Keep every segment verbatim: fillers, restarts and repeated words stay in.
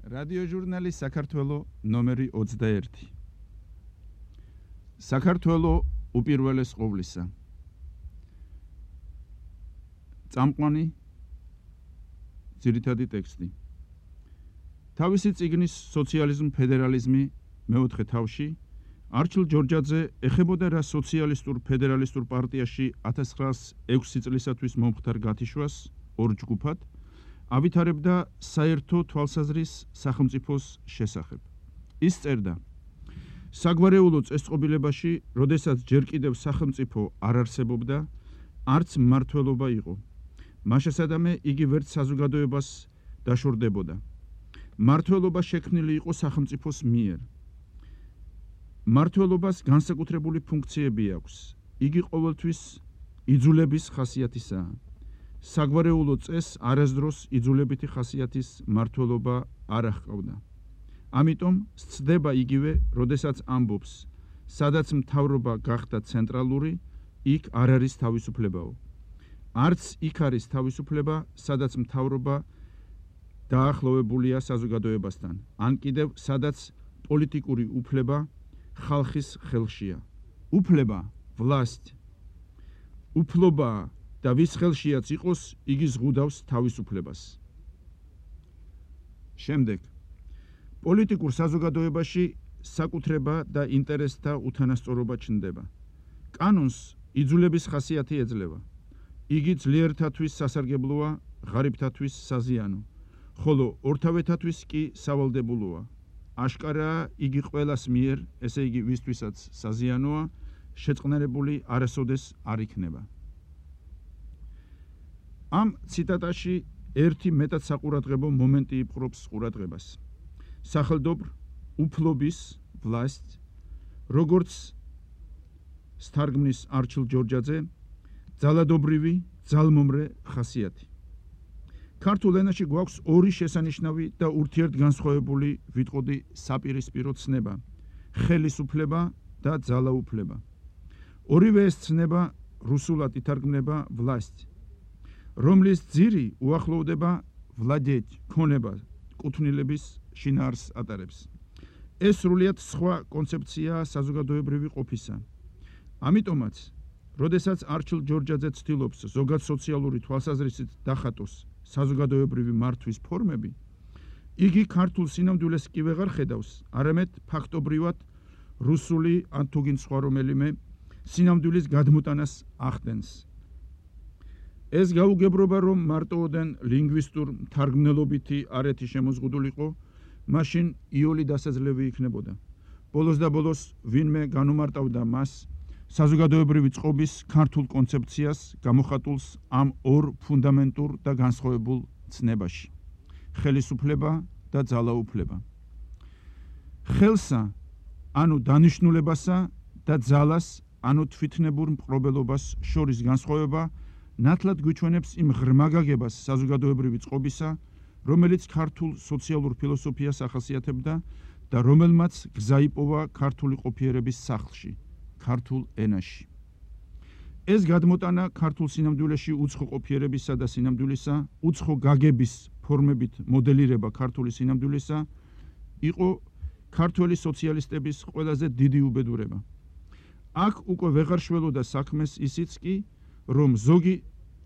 რადიოჟურნალი საქართველო ნომერი ოცდაერთი. საქართველო უპირველეს ყოვლისა. წამყვანი ძირითადი ტექსტი. თავისი წიგნის სოციალიზმ ფედერალიზმი მეოთხე თავში არჩილ ჯორჯაძე ეხებოდა რა სოციალისტურ ფედერალისტურ პარტიაში ათას ცხრაას ექვსი წლისათვის მომხდარ გათიშვას ორ ჯგუფად ავითარებდა საერთო თვალსაზრის სახელმწიფოს შესახებ. ის წერდა: საგვარეულო წესწყობილებაში, როდესაც ჯერ კიდევ სახელმწიფო არ არსებობდა, არც მმართველობა იყო. მაშასადამე იგი ვერც საზოგადოებას დაშორდებოდა. მმართველობა შექმნილი იყო სახელმწიფოს მიერ. მმართველობას განსაკუთრებული ფუნქციები აქვს. იგი ყოველთვის იძულების ხასიათისაა. საგვარეულო წესს არასდროს იძულებითი ხასიათის მმართველობა არ აღყავდა. ამიტომ სცდება იგივე, როდესაც ამბობს, სადაც მთავრობა გახდა ცენტრალური, იქ არ არის თავისუფლებაო. არც იქ არის თავისუფლება, სადაც მთავრობა დაახლოვებულია საზოგადოებასთან, ან კიდევ სადაც პოლიტიკური უფლება ხალხის ხელშია. უფლება, власть, უფლობა და ვის ხელშიაც იყოს, იგი ზღუდავს თავისუფლებას. შემდეგ, პოლიტიკურ საზოგადოებაში საკუთრება და ინტერესთა უთანასწორობა ჩნდება. კანონს იძულების ხასიათი ეძლევა. იგი ძლიერთათვის სასარგებლოა, ღარიბთათვის საზიანო, ხოლო ორთავეთათვის კი სავალდებულოა. აშკარაა, იგი ყველას მიერ, ესე იგი ვისთვისაც საზიანოა, შეწყნარებული არასოდეს არ იქნება. ამ ციტატაში ერთი მეტად საყურადღებო მომენტი იპყრობს ყურადღებას. სახელდობრ უფლობის власть, როგორც სტარგმნის არჩილ ჯორჯაძე, ძალადობრივი, ძალმომრე ხასიათი. ქართულ ენაში გვაქვს ორი შესანიშნავი და ურთიერთგანსხვავებული ვიტყოდი საპირისპირო ცნება: ხელისუფლება და ძალაუფლება. ორივე ეს ცნება რუსულად ითარგმნება власть, რომლის ძირი უახლოვდება владеть, ქონება, კუთვნილების შინაარსს ატარებს. ეს სრულიად სხვა კონცეფციაა საზოგადოებრივი ყოფისა. ამიტომაც, როდესაც არჩილ ჯორჯაძე ცდილობს ზოგად სოციალური თვალსაზრისით დახატოს საზოგადოებრივი მართვის ფორმები, იგი ქართულ სინამდვილეს კი ვეღარ ხედავს, არამედ ფაქტობრივად რუსული ან თუგინ სხვა რომელიმე სინამდვილის გადმოტანას ახდენს. ეს გაუგებრობა, რომ მარტოოდენ ლინგვისტურ მთარგმნელობითი არეთი შემოზღუდულიყო, მაშინ იოლი დასაძლევი იქნებოდა. ბოლოს და ბოლოს ვინმე განუმარტავდა მას საზოგადოებრივი წყობის ქართულ კონცეფციას გამოხატულს ამ ორ ფუნდამენტურ და განსხვავებულ ცნებაში: ხელისუფლება და ძალაუფლება. ხელსა, ანუ დანიშნულებასა და ძალას, ანუ თვითნებურ მპყრობელობას შორის განსხვავება ნათლად გვიჩვენებს იმ ღრმა გაგებას საზოგადოებრივი წყობისა, რომელიც ქართულ სოციალურ ფილოსოფიას ახასიათებდა და რომელმაც გზა იპოვა ქართული ყოფიერების სახლში, ქართულ ენაში. ეს გადმოტანა ქართულ სინამდვილეში უცხო ყოფიერებისა და სინამდვილისა, უცხო გაგების ფორმებით მოდელირება ქართული სინამდვილისა, იყო ქართველი სოციალისტების ყველაზე დიდი უბედურება. აქ უკვე ვეღარ შველოდა საქმეს ისიც კი, რომ ზოგი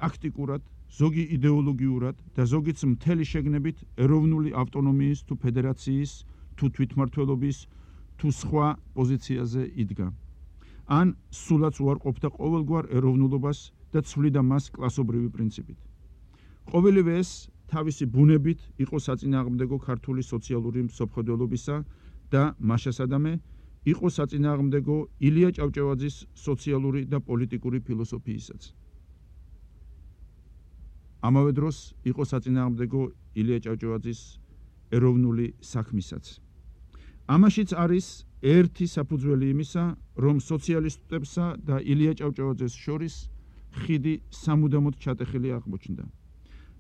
ტაქტიკურად, ზოგი იდეოლოგიურად და ზოგიც მთელი შეგნებით ეროვნული ავტონომიის თუ ფედერაციის თუ თვითმმართველობის თუ სხვა პოზიციაზე იდგა. ან სულაც უარყოფდა ყოველგვარ ეროვნულობას და ცვლიდა მას კლასობრივი პრინციპით. ყოველივე ეს თავისი ბუნებით იყო საწინააღმდეგო ქართული სოციალური მსოფლმხედველობისა და მაშასადამე იყო საწინააღმდეგო ილია ჭავჭავაძის სოციალური და პოლიტიკური ფილოსოფიისაც. ამავე დროს იყო საწინააღმდეგო ილია ჭავჭავაძის ეროვნული საქმისაც. ამაშიც არის ერთი საფუძველი იმისა, რომ სოციალისტებსა და ილია ჭავჭავაძეს შორის ხიდი სამუდამოდ ჩატეხილი აღმოჩნდა.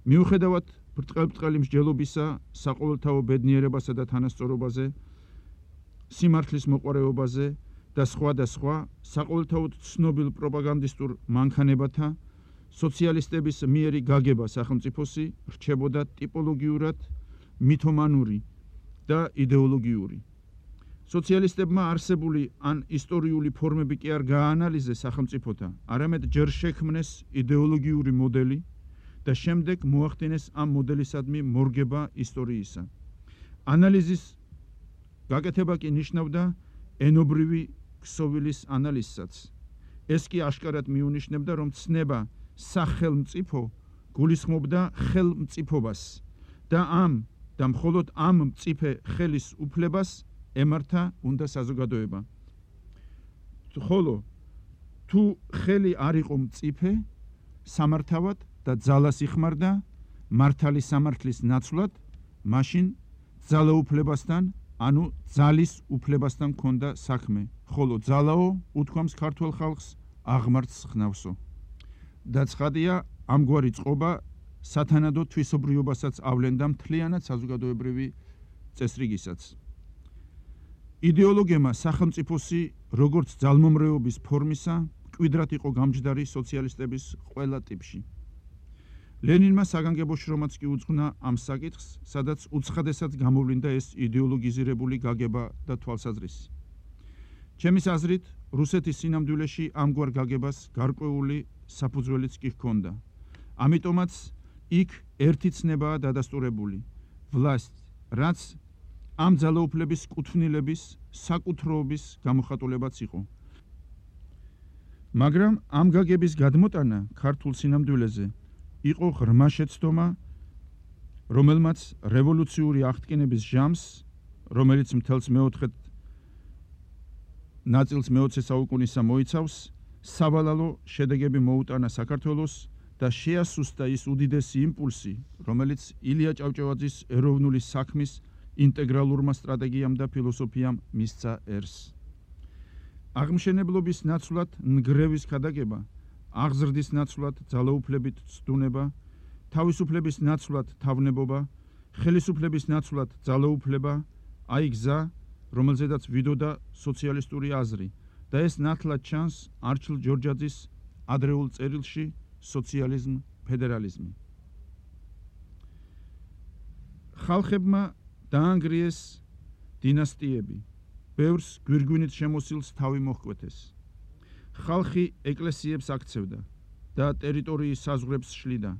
მიუხედავად ბრტყელ-ბრტყელი მსჯელობისა საყოველთაო ბედნიერებასა და თანასწორობაზე, სიმართლის მოყვარეობაზე და სხვა და სხვა საყოველთაოდ ცნობილ პროპაგანდისტურ მანქანებათა, სოციალისტების მიერი გაგება სახელმწიფოსი რჩებოდა ტიპოლოგიურად მითომანური და იდეოლოგიური. სოციალისტებმა არსებული ან ისტორიული ფორმები კი არ გააანალიზეს სახელმწიფოთა, არამედ ჯერ შექმნეს იდეოლოგიური მოდელი და შემდეგ მოახდინეს ამ მოდელისადმი მორგება ისტორიისა. ანალიზის გაკეთება კი ნიშნავდა ენობრივი ქსოვილის ანალიზსაც. ეს კი აშკარად მიუნიშნებდა, რომ ცნება სახელმწიფო გულისხმობდა ხელმწიფობას და ამ და მხოლოდ ამ მწიფე ხელის უფლებას ემართა უნდა საზოგადოება. ხოლო თუ ხელი არ იყო მწიფე, სამართავად და ძალას იხმარდა მართალი სამართლის ნაცვლად, მაშინ ძალაუფლებასთან, ანუ ძალის უფლებასთან ჰქონდა საქმე, ხოლო ძალაო უთქვამს ქართველ ხალხს აღმართს ხნავსო. და ცხადია, ამგვარი წყობა სათანადო თვისობრიობასაც ავლენდა მთლიანად საზოგადოებრივი წესრიგისაც. იდეოლოგიებმა სახელმწიფოსი როგორც ძალმომრეობის ფორმისა მკვიდრად იყო გამჯდარი სოციალისტების ყველა ტიპში. ლენინმა საგანგებო შრომაც კი უძღვნა ამ საკითხს, სადაც უცხადესად გამოვლინდა ეს იდეოლოგიზირებული გაგება და თვალსაზრისი. ჩემის აზრით, რუსეთის სინამდვილეში ამგვარ გაგებას გარკვეული საფუძველიც კი ჰქონდა. ამიტომაც იქ ერთი ცნებაა დადასტურებული, ვლასტ, რაც ამ ძალაუფლების კუთვნილების, საკუთროობის გამოხატულებაც იყო. მაგრამ ამ გაგების გადმოტანა ქართულ სინამდვილეზე იყო ღრმა შეცდომა, რომელმაც რევოლუციური აღდგენების ჟამს, რომელიც მთელს მეოთხე ნაწილს მეოცე საუკუნისა მოიცავს, სავალალო შედეგები მოუტანა საქართველოს და შეასუსტა ის უდიდესი იმპულსი, რომელიც ილია ჭავჭავაძის ეროვნული საქმის ინტეგრალურმა სტრატეგიამ და ფილოსოფიამ მისცა ერს. აღმშენებლობის ნაცვლად ნგრევის ქადაგება, აღზრდის ნაცვლად ძალაუფლებით ცდუნება, თავისუფლების ნაცვლად თავნებობა, ხელისუფლების ნაცვლად ძალაუფლება, აი გზა, რომელზედაც ვიდოდა სოციალისტური აზრი და ეს ნათლად ჩანს არჩილ ჯორჯაძის ადრეულ წერილში სოციალიზმ, ფედერალიზმი. ხალხებმა დაანგრიეს დინასტიები, ბევრს გვირგვინით შემოსილს თავი მოჰკვეთეს. ხალხი ეკლესიებს აქცევდა და ტერიტორიის საზღვრებს შლიდა,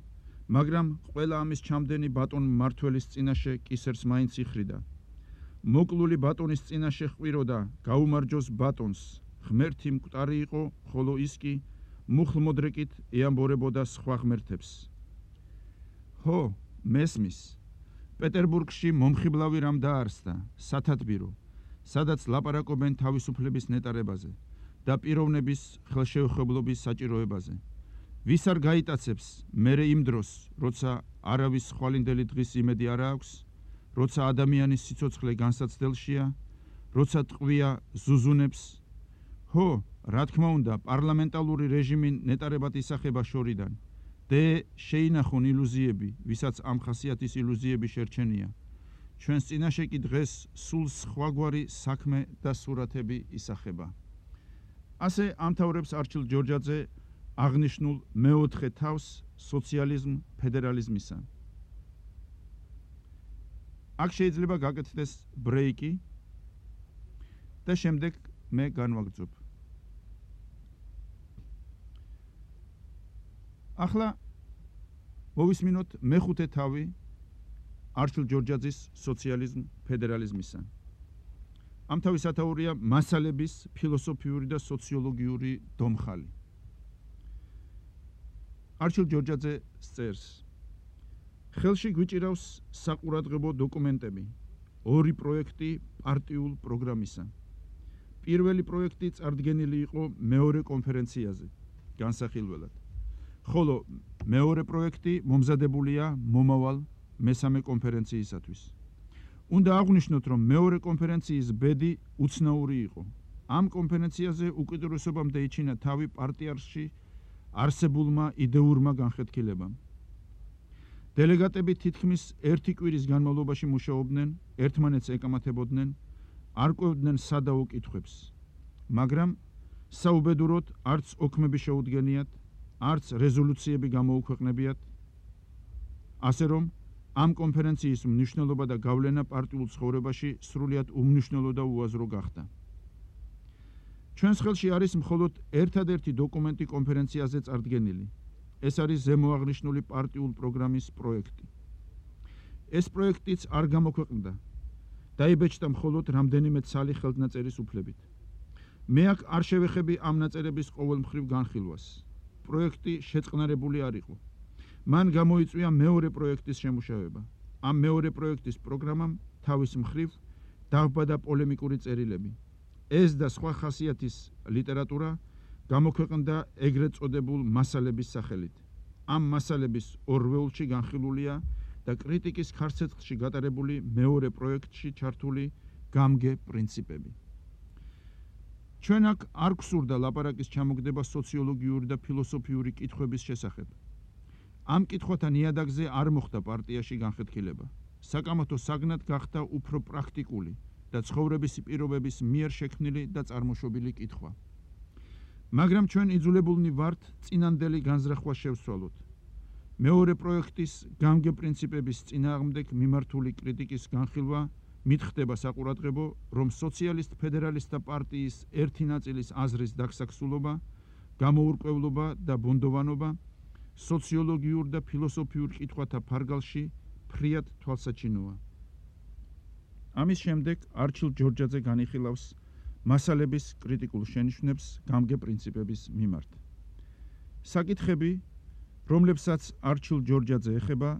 მაგრამ ყველა ამის ჩამდენი ბატონ მმართველის წინაშე კისერს მაინც იხრიდა. მოკლული ბატონის წინაშე ჰყვიროდა გაუმარჯოს ბატონს, ღმერთი მკვდარი იყო, ხოლო ის კი მუხლმოდრეკით ეამბორებოდა სხვა ღმერთებს. ჰო, მესმის, პეტერბურგში მომხიბლავი რამ დაარსდა, სათათბირო, სადაც ლაპარაკობენ თავისუფლების ნეტარებაზე და პიროვნების ხელშეუხებლობის საჭიროებაზე. ვის არ გაიტაცებს მერე იმ დროს, როცა არავის ხვალინდელი დღის იმედი არ აქვს, როცა ადამიანის სიცოცხლე განსაცდელშია, როცა ტყვია ზუზუნებს. ჰო, რა თქმა უნდა, პარლამენტალური რეჟიმი ნეტარებად ისახება შორიდან. დე შეინახონ ილუზიები, ვისაც ამ ხასიათის ილუზიები შერჩენია. ჩვენს წინაშე კი დღეს სულ სხვაგვარი საქმე და სურათები ისახება. ასე ამთავრებს არჩილ ჯორჯაძე აღნიშნულ მეოთხე თავს სოციალიზმ ფედერალიზმისა. აქ შეიძლება გაკეთდეს ბრეიკი და შემდეგ მე განვაგრძობ. ახლა მოვისმინოთ მეხუთე თავი არჩილ ჯორჯაძის სოციალიზმ ფედერალიზმისა. ამ თავის ათაურია მასალების ფილოსოფიური და სოციოლოგიური დომხალი. არჩილ ჯორჯაძე წერს: ხელში გვიჭირავს საყურადღებო დოკუმენტები, ორი პროექტი პარტიულ პროგრამისა. პირველი პროექტი წარდგენილი იყო მეორე კონფერენციაზე, განსახილველად. ხოლო მეორე პროექტი მომზადებულია მომავალ მესამე კონფერენციისათვის. უნდა აღვნიშნოთ, რომ მეორე კონფერენციის ბედი უცნაური იყო. ამ კონფერენციაზე უკიდურესობამდე იჩინა თავი პარტიაში არსებულმა იდეურმა განხეთქილებამ. დელეგატები თითქმის ერთი კვირის განმავლობაში მუშაობდნენ, ერთმანეთს ეკამათებოდნენ, არ კვევდნენ სადაო კითხვებს. მაგრამ საუბედუროდ არც ოქმები შეუდგენიათ, არც რეზოლუციები გამოუქვეყნებიათ, ასე რომ ამ კონფერენციის მნიშვნელობა და გავლენა პარტიულ ცხოვრებაში სრულიად უმნიშვნელო და უაზრო გახდა. ჩვენს ხელში არის მხოლოდ ერთადერთი დოკუმენტი კონფერენციაზე წარდგენილი. ეს არის ზემოაღნიშნული პარტიულ პროგრამის პროექტი. ეს პროექტიც არ გამოქვეყნდა. დაიბეჭდა მხოლოდ რამდენიმე ცალი ხელნაწერის უფლებით. მე აქ არ შევეხები ამ ნაწერების ყოველმხრივ განხილვას. პროექტი შეწყნარებული არ იყო. მან გამოიწვია მეორე პროექტის შემუშავება. ამ მეორე პროექტის პროგრამამ თავის მხრივ დააბადა პოლემიკური წერილები. ეს და სხვა ხასიათის ლიტერატურა გამოქვეყნდა ეგრეთ წოდებულ მასალების სახელით. ამ მასალების ორვეულში განხილულია და კრიტიკის ხარცეცხლში გატარებული მეორე პროექტში ჩართული გამგე პრინციპები. ჩვენ აქ არ გვსურდა ლაპარაკის ჩამოგდება სოციოლოგიური და ფილოსოფიური კითხვების შესახებ. ამ კითხვათა ნიადაგზე არ მოხდა პარტიაში განხეთქილება. საკამათო საგნად გახდა უფრო პრაქტიკული და ცხოვრების პირობების მიერ შექმნილი და წარმოშობილი კითხვა. მაგრამ ჩვენ იძულებულნი ვართ წინანდელი განზრახვა შევსვალოთ. მეორე პროექტის გამგე პრინციპების წინააღმდეგ მიმართული კრიტიკის განხილვა მითხრდება საყურადღებო, რომ სოციალისტ ფედერალისტთა პარტიის ერთი ნაწილის აზრის დაგსაქსულობა, გამოურკვევლობა და ბუნდოვანობა სოციოლოგიურ და ფილოსოფიურ კითხვათა ფარგალში ფრიად თვალსაჩინოა. ამის შემდეგ არჩილ ჯორჯაძე განიხილავს მასალების კრიტიკულ შენიშვნებს გამგე პრინციპების მიმართ. საკითხები, რომლებსაც არჩილ ჯორჯაძე ეხება,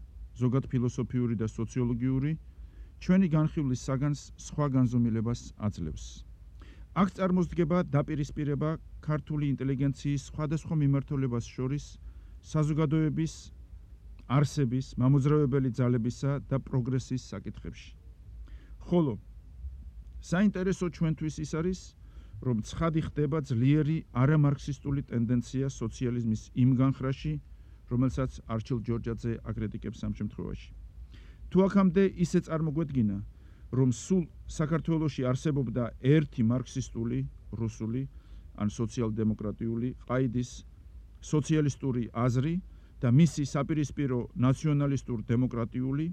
ზოგად ფილოსოფიური და სოციოლოგიური, ჩვენი განხილვის საგანს სხვა განზომილებას აძლევს. აქ წარმოსდგება დაპირისპირება ქართული ინტელიგენციის სხვადასხვა მიმართულებას შორის საზოგადოების არსების, მამოძრავებელი ძალებისა და პროგრესის საკითხებში. ხოლო საინტერესო ჩვენთვის ის არის, რომ ცხადი ხდება ძლიერი არამარქსისტული ტენდენცია სოციალიზმის იმ განხრაში, რომელსაც არჩილ ჯორჯაძე აკრიტიკებს ამ შემთხვევაში. თუ აქამდე ისე წარმოგვედგინა, რომ სულ საქართველოში არსებობდა ერთი მარქსისტული, რუსული, ან სოციალ-დემოკრატიული ყაიდის სოციალისტური აზრი და მისი საპირისპირო ნაციონალისტურ-დემოკრატიული,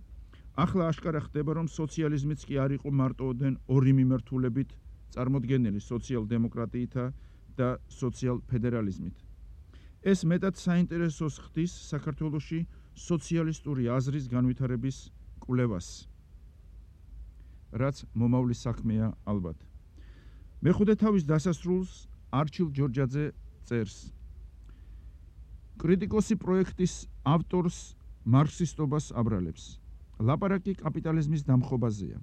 ახლა აშკარა ხდება, რომ სოციალიზმიც კი არ იყო მარტოოდენ ორი მიმართულებით წარმოდგენილი სოციალ-დემოკრატიითა და სოციალ-ფედერალიზმით. ეს მეტად საინტერესოს ხდის საქართველოში სოციალისტური აზრის განვითარების კვლევას, რაც მომავლის საქმეა ალბათ. მეხუთე თავის დასასრულს არჩილ ჯორჯაძე წერს. კრიტიკოსი პროექტის ავტორს მარქსისტობას აბრალებს. ლაპარაკი კაპიტალიზმის დამხობაზეა.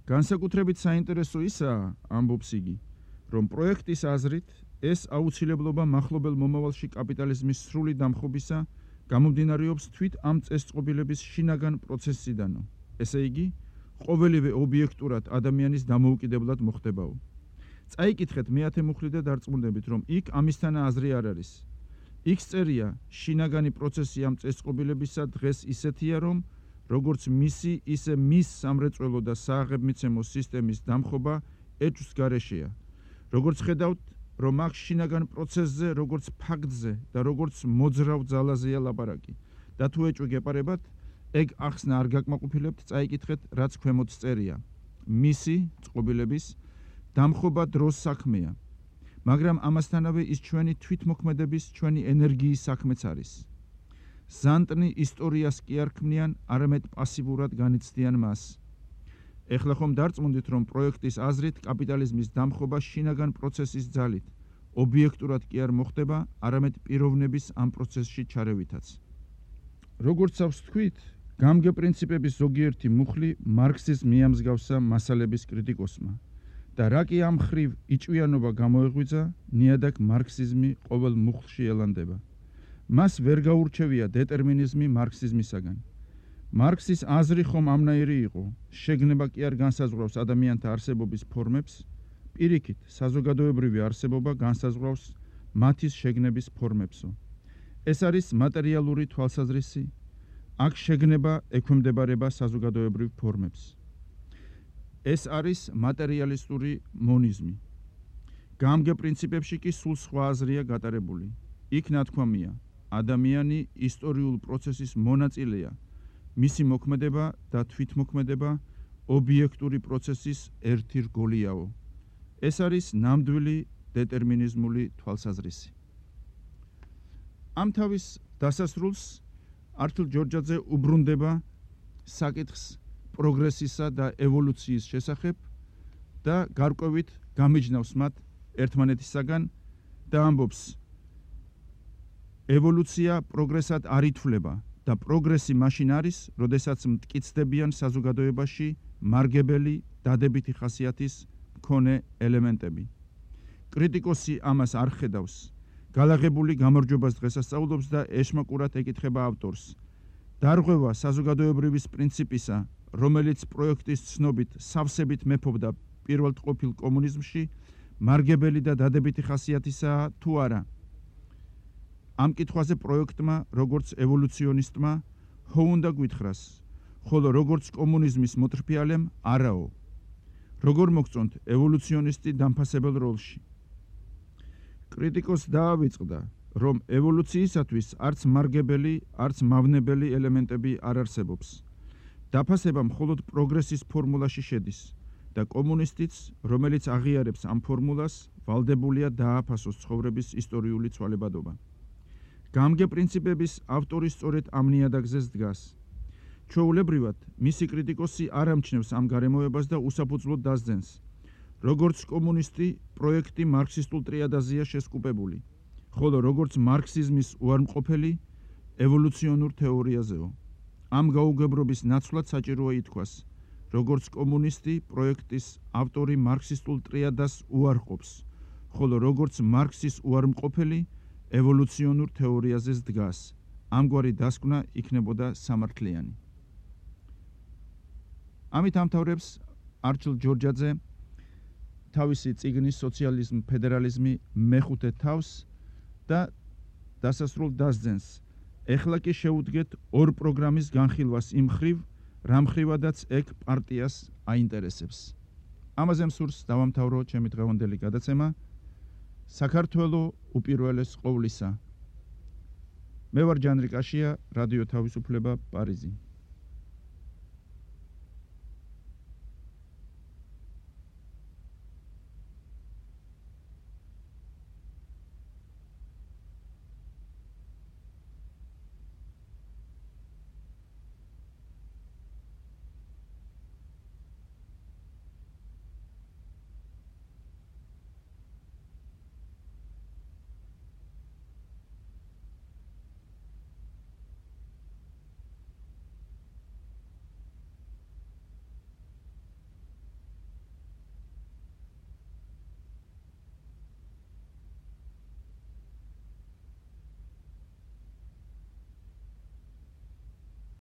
განსაკუთრებით საინტერესო ისაა, ამბობს იგი, რომ პროექტის აზრით ეს აუცილებლობა მახლობელ მომავალში კაპიტალიზმის სრული დამხობისა გამომდინარეობს თვით ამ წესწყობილების შინაგან პროცესიდანო. ესე იგი, ყოველივე ობიექტურად ადამიანის დამოუკიდებლად მოხდებაო. წაიკითხეთ მეათე მუხლი და დარწმუნდებით, რომ იქ ამისთანა აზრი არ არის. იქ წერია, შინაგანი პროცესი ამ წესწყობილებისა დღეს ისეთია, რომ როგორც მისი, ისე მის სამრეწველო და სააღებმიცემო სისტემის დამხობა ეჭვს გარეშეა. როგორც ხედავთ, რომ აქ შინაგან პროცესზე, როგორც ფაქტზე და როგორც მოძრავ ძალაზეა ლაპარაკი. და თუ ეჭვი გეპარებათ, ეგ ახსნა არ გაკმაყოფილებთ, წაიკითხეთ, რაც ქვემოთ წერია. მისი წყობილების დამხობა დროს საქმეა. მაგრამ ამასთანავე ის ჩვენი თვითმოქმედების, ჩვენი ენერგიის საქმეც არის. ზანტნი ისტორიას კი არ ქმნიან, არამედ პასივურად განიცდიან მას. ეხლა ხომ დარწმუნდით, რომ პროექტის აზრით კაპიტალიზმის დამხობა შინაგან პროცესის ძალით, ობიექტურად კი არ მოხდება, არამედ პიროვნების ამ პროცესში ჩარევითაც. როგორცავს თქვით, გამგე პრინციპების ზოგიერთი მუხლი მარქსიზმს მიამსგავსა მასალების კრიტიკოსმა. და რა კი ამ ხრივ იჭვიანობა გამოეღვიძა, ნიადაგ მარქსიზმი ყოველ მუხლში ელანდება. მას ვერ გაურჩევია დეტერმინიზმი მარქსიზმისაგან. მარქსის აზრი ხომ ამნაირი იყო, შეგნება კი არ განსაზღვრავს ადამიანთა არსებობის ფორმებს, პირიქით, საზოგადოებრივი არსებობა განსაზღვრავს მათის შეგნების ფორმებსო. ეს არის მატერიალური თვალსაზრისი, აქ შეგნება ექვემდებარება საზოგადოებრივ ფორმებს. ეს არის მატერიალისტური მონიზმი. გამგე პრინციპებში კი სულ სხვა აზრია გატარებული. იქ ნათქვამია, ადამიანი ისტორიულ პროცესის მონაწილეა მისი მოქმედება და თვითმოქმედება ობიექტური პროცესის ერთი რგოლიაო. ეს არის ნამდვილი დეტერმინიზმული თვალსაზრისი. ამ თავის დასასრულს ართურ ჯორჯაძე უბრუნდება საკითხს პროგრესისა და ევოლუციის შესახებ და გარკვევით გამიჯნავს მათ ერთმანეთისაგან და ამბობს: ევოლუცია პროგრესად არ ითვლება და პროგრესი მაშინ არის, როდესაც მტკიცდებიან საზოგადოებაში მარგებელი დადებითი ხასიათის მქონე ელემენტები. კრიტიკოსი ამას არ ხედავს. გალაღებული გამარჯვებას დღესასწაულობს და ეშმაკურად ეკითხება ავტორს: დარღვევა საზოგადოებრივის პრინციპისა, რომელიც პროექტის ცნობით სავსებით მეფობდა პირველ ყოფილ კომუნიზმში, მარგებელი და დადებითი ხასიათისაა თუ არა? ამ კითხვაზე პროექტმა, როგორც ევოლუციონისტმა, ხო უნდა გვითხრას, ხოლო როგორც კომუნიზმის მოტრფიალემ, არაო. როგორ მოგწონთ ევოლუციონისტი დამფასებელ როლში? კრიტიკოს დაავიწყდა, რომ ევოლუციისათვის არც მარგებელი, არც მავნებელი ელემენტები არ არსებობს. დაფასება მხოლოდ პროგრესის ფორმულაში შედის და კომუნისტიც, რომელიც აღიარებს ამ ფორმულას, ვალდებულია დააფასოს ცხოვრების ისტორიული ცვალებადობა. გამგე პრინციპების ავტორი სწორედ ამ ნიადაგზეს დგას. ჩვეულებრივად, მისი კრიტიკოსი არ ამჩნევს ამ გარემოებას და უსაფუძვლოდ დასძენს. როგორც კომუნისტი, პროექტი მარქსისტულ ტრიადაზეა შესკუპებული, ხოლო როგორც მარქსიზმის უარმყოფელი, ევოლუციონურ თეორიაზეო. ამ გაუგებრობის ნაცვლად საჭიროა ითქვას, როგორც კომუნისტი, პროექტის ავტორი მარქსისტულ ტრიადას უარყოფს, ხოლო როგორც მარქსის უარმყოფელი, ევოლუციონურ თეორიაზეც დგას. ამგვარი დასკვნა იქნებოდა სამართლიანი. ამით ამთავრებს ართურ ჯორჯაძე თავისი წიგნის სოციალიზმი, ფედერალიზმი მეხუთე თავს და დასასრულ დასძენს: ეხლა კი შეუდგეთ ორ პროგრამის განხილვას იმ ხრივ, რამ ხრივადაც ეგ პარტიას აინტერესებს. ამაზე მსურს დავამთავრო ჩემი დღევანდელი გადაცემა. საქართველო უპირველეს ყოვლისა. მე ვარ ჯანრი კაშია, რადიო თავისუფლება, პარიზი.